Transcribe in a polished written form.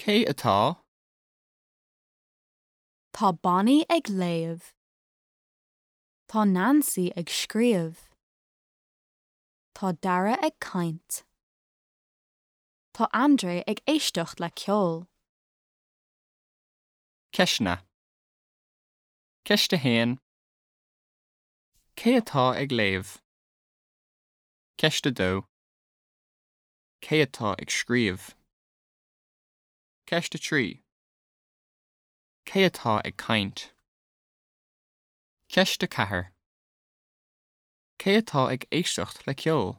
Cé atá? Tá Bonnie ag léamh. Tá Nancy ag scríobh. Tá Dara ag caint. Tá André ag éisteacht le ceol. Ceisteanna. Ceist 1. Cé atá ag léamh? Ceist 2. Cé atá ag scríobh? Ceist 3. Cé atá ag caint? Ceist 4. Cé atá ag éisteacht le ceol?